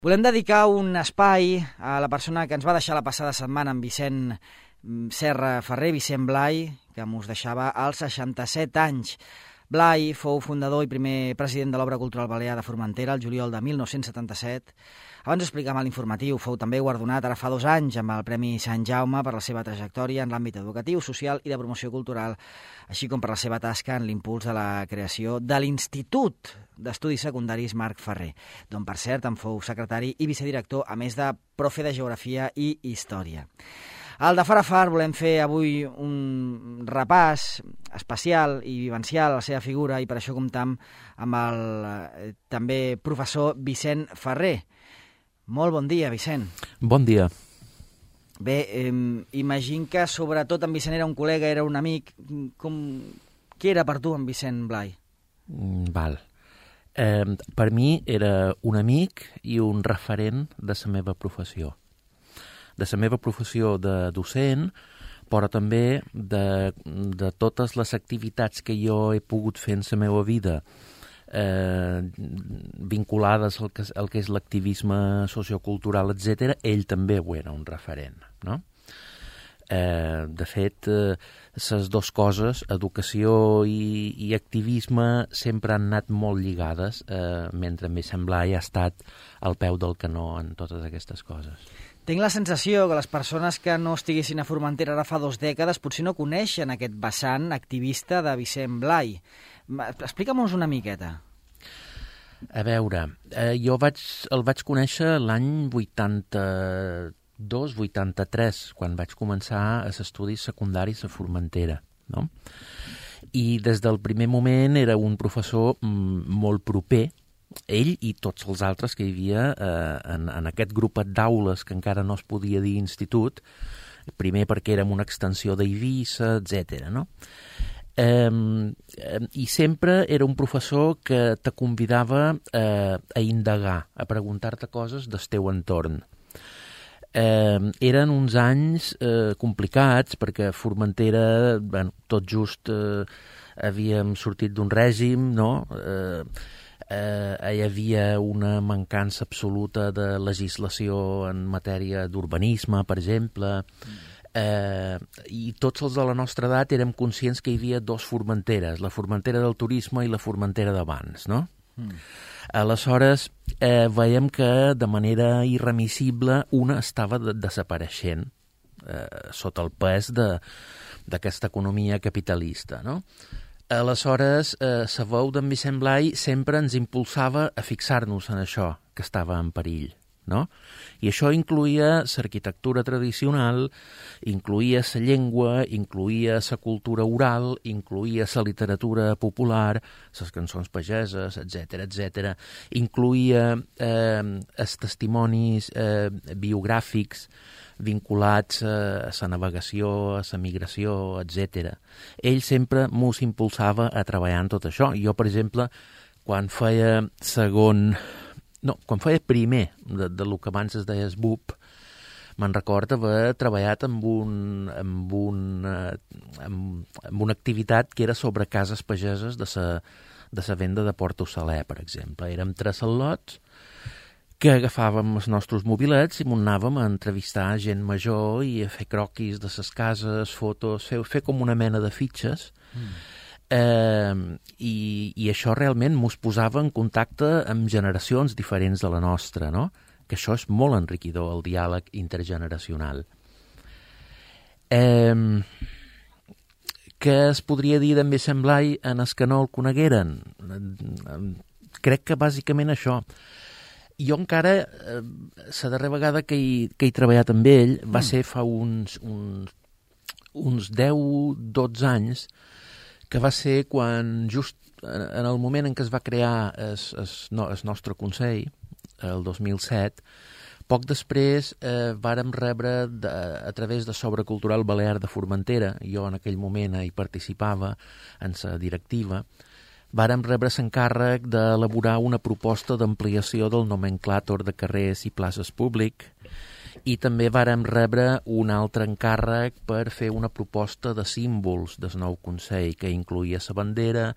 Volem dedicar un espai a la persona que ens va deixar la passada setmana, en Vicent Serra Ferrer, Vicent Blai, que mos deixava als 67 anys. Blai fou fundador i primer president de l'Obra Cultural Balear de Formentera el juliol de 1977. Abans ho explicàvem a l'informatiu, fou també guardonat ara fa 2 anys amb el Premi Sant Jaume per la seva trajectòria en l'àmbit educatiu, social i de promoció cultural, així com per la seva tasca en l'impuls de la creació de l'Institut d'Estudis Secundaris Marc Ferrer, d'on, per cert, en fou secretari i vicedirector, a més de profe de Geografia i Història. Al de Far a Far volem fer avui un repàs especial i vivencial a la seva figura i per això comptam amb el també professor Vicent Ferrer. Molt bon dia, Vicent. Bon dia. Bé, imagino que sobretot en Vicent era un col·lega, era un amic. Què era per tu en Vicent Blai? Val. Per mi era un amic i un referent de la meva professió. De la meva professió de docent, però també de totes les activitats que jo he pogut fer en la meva vida vinculades al que és l'activisme sociocultural, etc., ell també ho era un referent, no? De fet, les dues coses, educació i activisme, sempre han anat molt lligades, mentre em sembla ha estat al peu del canó en totes aquestes coses. Tinc la sensació que les persones que no estiguessin a Formentera ara fa 2 dècades potser no coneixen aquest vessant activista de Vicent Blai. Explica'm-nos una miqueta. A veure, jo el vaig conèixer l'any 82-83, quan vaig començar els estudis secundaris a Formentera, no? I des del primer moment era un professor molt proper, ell i tots els altres que hi havia en aquest grupet d'aules que encara no es podia dir institut, primer perquè érem una extensió d'Eivissa, etc., no? I sempre era un professor que te convidava a indagar, a preguntar-te coses del teu entorn. Eren uns anys complicats perquè a Formentera, tot just havíem sortit d'un règim, no? Hi havia una mancança absoluta de legislació en matèria d'urbanisme, per exemple, i tots els de la nostra edat érem conscients que hi havia 2 Formenteres, la Formentera del turisme i la Formentera d'abans, no? Aleshores, veiem que de manera irremissible una estava desapareixent sota el pes d'aquesta economia capitalista, no? Aleshores, la veu d'en Vicent Blai sempre ens impulsava a fixar-nos en això que estava en perill, no? I això incluïa l'arquitectura tradicional, incluïa la llengua, incluïa la cultura oral, incluïa la literatura popular, les cançons pageses, etc., incluïa els testimonis biogràfics vinculats a la navegació, a la migració, etc. Ell sempre mos impulsava a treballar en tot això. Jo, per exemple, quan feia primer de lo que abans es deia SBUP, me'n recordo haver treballat amb una activitat que era sobre cases pageses de la venda de Porto Saler, per exemple. Érem 3 al·lots que agafàvem els nostres mobilets i anàvem a entrevistar gent major i a fer croquis de les cases, fotos, fer com una mena de fitxes. I això realment mos posava en contacte amb generacions diferents de la nostra, no? Que això és molt enriquidor, el diàleg intergeneracional. Què es podria dir d'en Vicent Blai en els que no el conegueren? Crec que bàsicament això. Jo encara, la darrera vegada que he treballat amb ell va ser fa uns 10-12 anys, que va ser quan, just en el moment en què es va crear el nostre Consell, el 2007, poc després vàrem rebre, a través de Obra Cultural Balear de Formentera, jo en aquell moment hi participava en la directiva, vàrem rebre l'encàrrec d'elaborar una proposta d'ampliació del nomenclàtor de carrers i places públic i també vàrem rebre un altre encàrrec per fer una proposta de símbols del nou Consell que incloïa la bandera,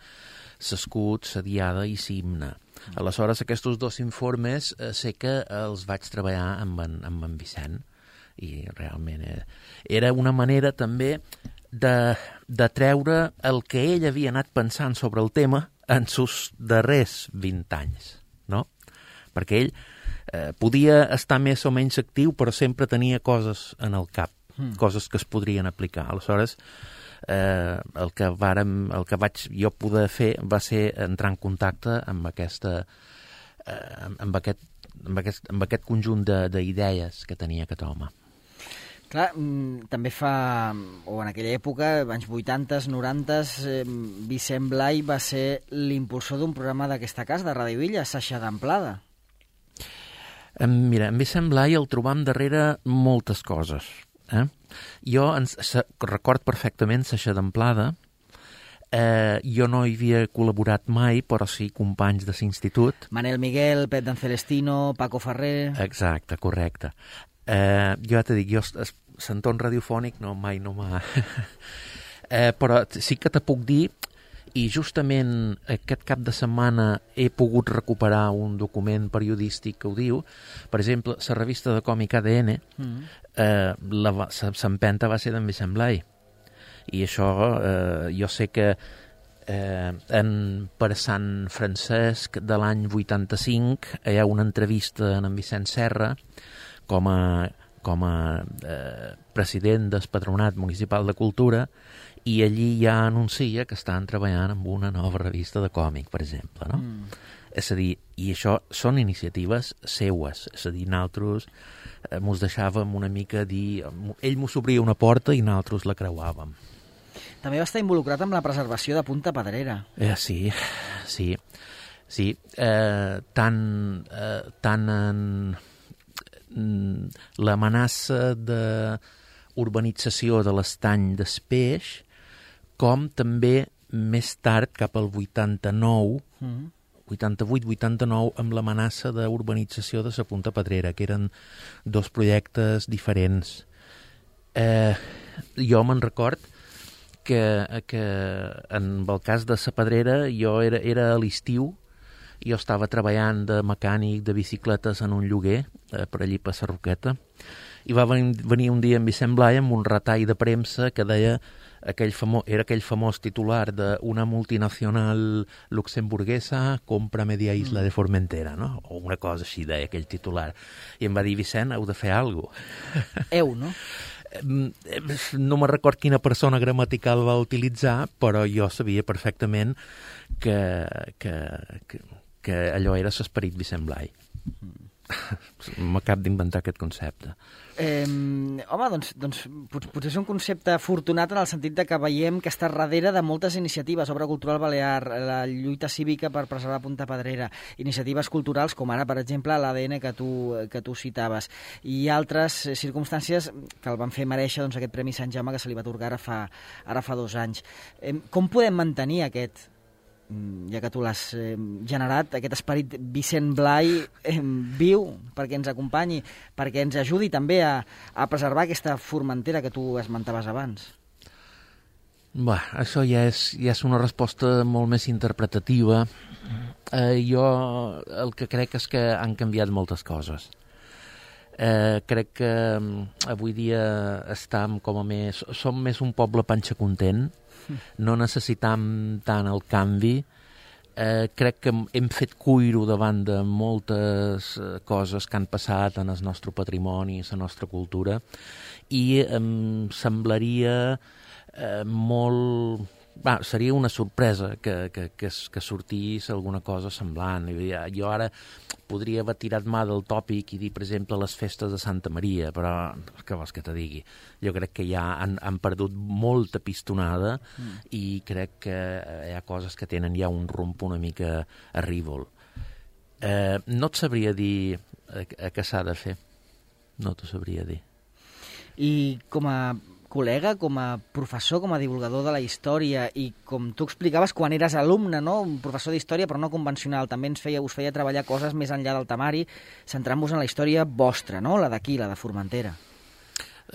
l'escut, la diada i l'himne. Aleshores, aquests 2 informes sé que els vaig treballar amb en Vicent, i realment era una manera també de treure el que ell havia anat pensant sobre el tema en sus darrers 20 anys, no? Perquè ell podia estar més o menys actiu, però sempre tenia coses en el cap, coses que es podrien aplicar. Aleshores, el que vaig jo poder fer va ser entrar en contacte amb aquest conjunt d'idees que tenia aquest home. Clar, també o en aquella època, anys 80s, 90s, Vicent Blay va ser l'impulsor d'un programa d'aquesta casa, de Ràdio Illa, Saixa d'Amplada. Mira, en Vicent Blay el trobam darrere moltes coses. Jo record perfectament Saixa d'Amplada. Jo no hi havia col·laborat mai, però sí companys de l'institut. Manel Miguel, Pep d'en Celestino, Paco Ferrer... Exacte, correcte. Jo ja t'he dit, l'entorn radiofònic mai no m'ha... però sí que te puc dir, i justament aquest cap de setmana he pogut recuperar un document periodístic que ho diu. Per exemple, la revista de còmic ADN, l'empenta va ser d'en Vicent Blay. I això jo sé que per Sant Francesc de l'any 85 hi ha una entrevista en Vicent Serra com a president del Patronat Municipal de Cultura, i allí ja anuncia que estan treballant en una nova revista de còmic, per exemple, no? És a dir, i això són iniciatives seues, és a dir, nosaltres mos deixàvem una mica dir... Ell mos obria una porta i nosaltres la creuàvem. També va estar involucrat amb la preservació de Punta Pedrera. Sí. Tant en l'amenaça d'urbanització de l'estany d'Espeix, com també més tard, cap al 88, 88-89, amb l'amenaça d'urbanització de la Punta Pedrera, que eren 2 projectes diferents. Jo me'n record que en el cas de la Pedrera jo era a l'estiu, jo estava treballant de mecànic de bicicletes en un lloguer, per allí per la Roqueta, i va venir un dia en Vicent Blay amb un retall de premsa que deia era aquell famós titular d'una multinacional luxemburguesa compra media isla de Formentera, no? O una cosa així deia aquell titular. I em va dir, Vicent, heu de fer alguna cosa. No? No me record quina persona gramatical va utilitzar, però jo sabia perfectament que allò era l'esperit Vicent Blay. M'acabo d'inventar aquest concepte. Home, doncs potser és un concepte afortunat en el sentit de que veiem que està darrere de moltes iniciatives, Obra Cultural Balear, la lluita cívica per preservar Punta Pedrera, iniciatives culturals com ara, per exemple, l'ADN que tu citaves, i altres circumstàncies que el van fer mereixer aquest Premi Sant Jaume que se li va atorgar ara fa 2 anys. Com podem mantenir aquest, ja que tu l'has generat, aquest esperit Vicent Blay viu, perquè ens acompanyi, perquè ens ajudi també a preservar aquesta Formentera que tu esmentaves abans? Això ja és una resposta molt més interpretativa. Jo el que crec és que han canviat moltes coses. Crec que avui dia som més un poble panxa content, no necessitam tant el canvi. Crec que hem fet cuiro davant de moltes coses que han passat en el nostre patrimoni, la nostra cultura, i em semblaria molt... seria una sorpresa que sortís alguna cosa semblant. Jo ara podria haver tirat mà del tòpic i dir, per exemple, les festes de Santa Maria, però què vols que te digui? Jo crec que ja han perdut molta pistonada i crec que hi ha coses que tenen ja un rumb una mica arrívol. No et sabria dir què s'ha de fer. No t'ho sabria dir. I com a col·lega, com a professor, com a divulgador de la història, i com tu explicaves quan eres alumne, no? Un professor d'història però no convencional, també us feia treballar coses més enllà del temari, centrant-vos en la història vostra, no? La d'aquí, la de Formentera.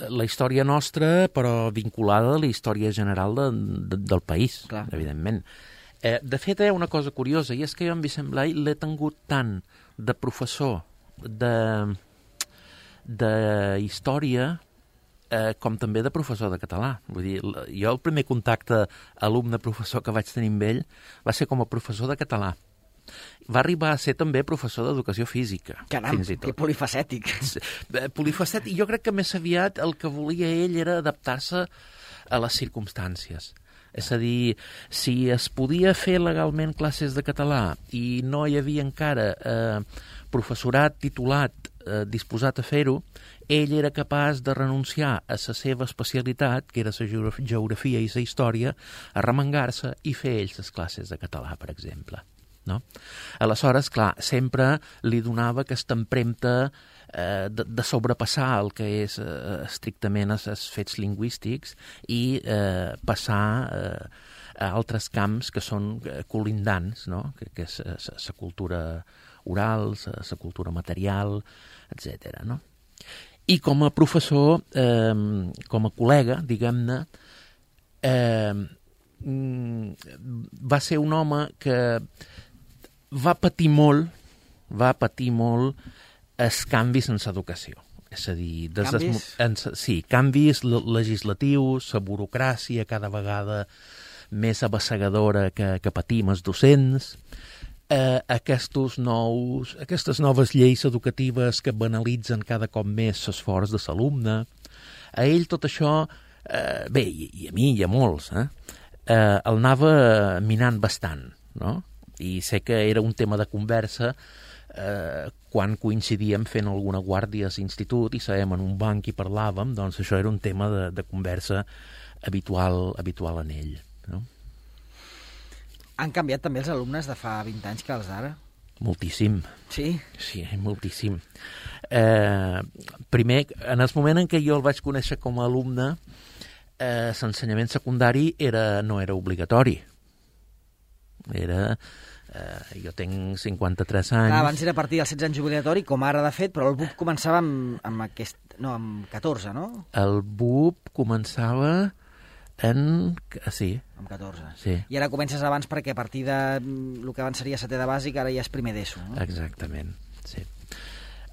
La història nostra, però vinculada a la història general del país, clar, evidentment. De fet, hi ha una cosa curiosa, i és que jo en Vicent Blai l'he tingut tant de professor de història com també de professor de català. Vull dir, jo el primer contacte alumne-professor que vaig tenir amb ell va ser com a professor de català. Va arribar a ser també professor d'educació física. Caram, que polifacètic. Polifacètic. Jo crec que més aviat el que volia ell era adaptar-se a les circumstàncies. És a dir, si es podia fer legalment classes de català i no hi havia encara professorat titulat disposat a fer-ho, ell era capaç de renunciar a la seva especialitat, que era la geografia i la història, a remengar-se i fer ells les classes de català, per exemple. No? Aleshores, clar, sempre li donava aquesta empremta de sobrepassar el que és estrictament els fets lingüístics i passar a altres camps que són colindants, no? Que és la cultura oral, la cultura material, etc. No? I com a professor, com a col·lega, diguem-ne, va ser un home que va patir molt els canvis en l'educació. És a dir, canvis legislatius, la burocràcia cada vegada més abassegadora que patim els docents, aquestes noves lleis educatives que banalitzen cada cop més l'esforç de l'alumne. A ell tot això, bé, i a mi i a molts, el anava minant bastant, no? I sé que era un tema de conversa quan coincidíem fent alguna guàrdia a l'institut i sabem en un banc i parlàvem, doncs això era un tema de conversa habitual en ell, no? Han canviat també els alumnes de fa 20 anys que els d'ara? Moltíssim. Sí? Sí, moltíssim. Primer, en el moment en què jo el vaig conèixer com a alumne, l'ensenyament secundari no era obligatori. Jo tinc 53 anys. Abans era a partir dels 16 anys obligatori, com ara de fet, però el BUP començava amb 14, no? El BUP començava sí. Amb 14. Sí. I ara comences abans perquè a partir de el que abans seria setè de bàsic, ara ja és primer d'ESO, no? Exactament, sí.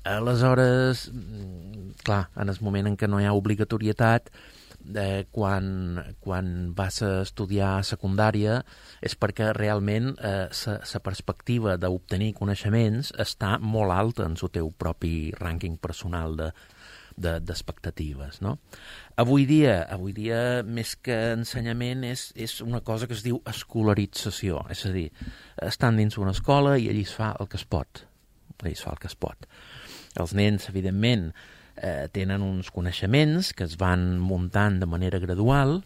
Aleshores, clar, en el moment en què no hi ha obligatorietat, quan vas a estudiar a secundària és perquè realment la perspectiva d'obtenir coneixements està molt alta en el teu propi rànquing personal d'expectatives, no? Avui dia, més que ensenyament, és una cosa que es diu escolarització, és a dir, estan dins una escola i allí es fa el que es pot. Els nens, evidentment, tenen uns coneixements que es van muntant de manera gradual,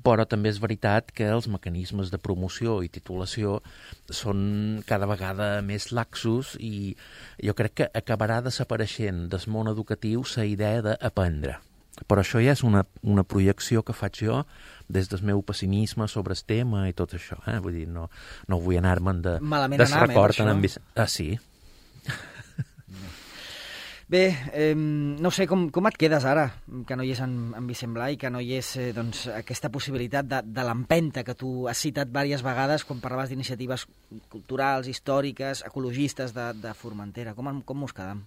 però també és veritat que els mecanismes de promoció i titulació són cada vegada més laxos i jo crec que acabarà desapareixent del món educatiu la idea d'aprendre. Però això ja és una projecció que faig jo des del meu pessimisme sobre el tema i tot això. Vull dir, no vull anar-me'n de record en Vicent. Sí. Bé, no sé, com et quedes ara, que no hi és en Vicent Blai, que no hi és doncs, aquesta possibilitat de l'empenta que tu has citat diverses vegades quan parlaves d'iniciatives culturals, històriques, ecologistes de Formentera. Com us quedam?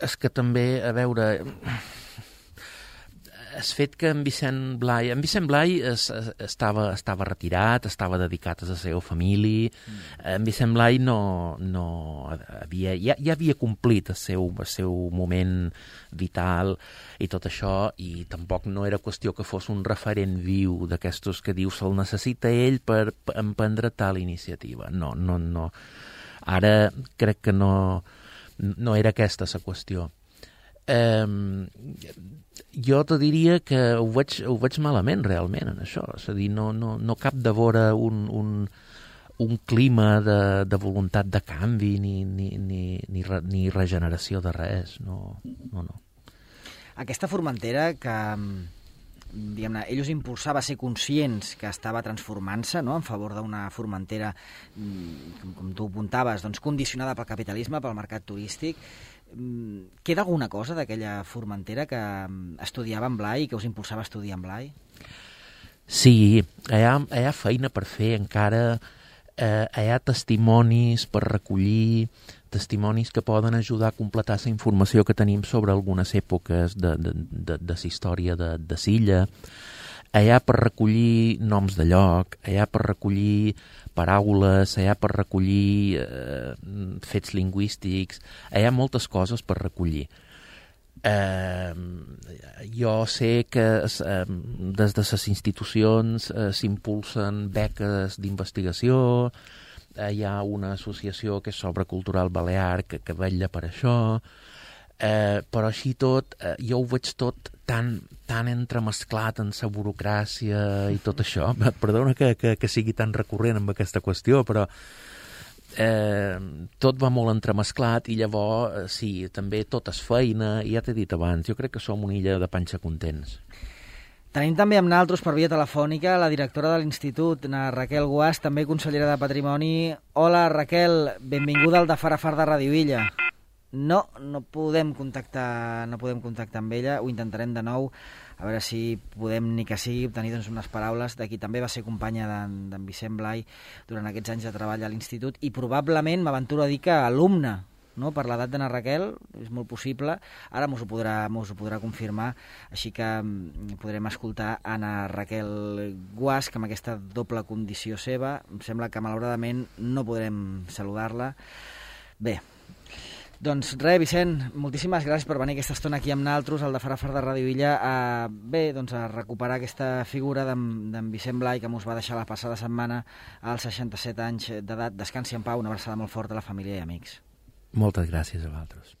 És que també, a veure, el fet que en Vicent Blai estava retirat, estava dedicat a la seva família. En Vicent Blai ja havia complit el seu moment vital i tot això, i tampoc no era qüestió que fos un referent viu d'aquestos que diu se'l necessita ell per emprendre tal iniciativa. No. Ara crec que no era aquesta la qüestió. Jo te diria que ho veig malament realment en això, és a dir, no cap de vora un clima de voluntat de canvi ni regeneració de res, no. Aquesta Formentera que, diguem-ne, ell us impulsava a ser conscients que estava transformant-se, no?, en favor d'una Formentera, com tu apuntaves, doncs, condicionada pel capitalisme, pel mercat turístic. Queda alguna cosa d'aquella Formentera que estudiava en Blai i que us impulsava a estudiar en Blai? Sí, hi ha feina per fer encara, hi ha testimonis per recollir, testimonis que poden ajudar a completar la informació que tenim sobre algunes èpoques de la història de Silla. Hi ha per recollir noms de lloc, hi ha per recollir paraules, hi ha per recollir fets lingüístics, hi ha moltes coses per recollir. Jo sé que des de les institucions s'impulsen beques d'investigació, hi ha una associació que és Sobre Cultural Balear que vetlla per això, però així tot jo ho veig tot tan entremesclat en la burocràcia i tot això. Perdona que sigui tan recurrent amb aquesta qüestió, però tot va molt entremesclat i llavors sí, també tot és feina, i ja t'he dit abans, jo crec que som una illa de panxa contents. Tenim també amb naltros per via telefònica la directora de l'Institut, na Raquel Guàs, també consellera de Patrimoni. Hola Raquel, benvinguda al de Far a Far de Ràdio Illa. No podem contactar amb ella, ho intentarem de nou, a veure si podem, ni que sigui, obtenir doncs, unes paraules de qui també va ser companya d'en Vicent Blai durant aquests anys de treball a l'Institut, i probablement m'aventuro a dir que alumne, no? Per l'edat de na Raquel, és molt possible, ara mos ho podrà confirmar, així que podrem escoltar a na Raquel Guàs, que amb aquesta doble condició seva, em sembla que malauradament no podrem saludar-la. Bé, doncs res, Vicent, moltíssimes gràcies per venir aquesta estona aquí amb naltros, al de Far a Far de Ràdio Illa, a recuperar aquesta figura d'en Vicent Blai, que mos va deixar la passada setmana als 67 anys d'edat. Descansi en pau, una abraçada molt forta a la família i amics. Moltes gràcies a vosaltres.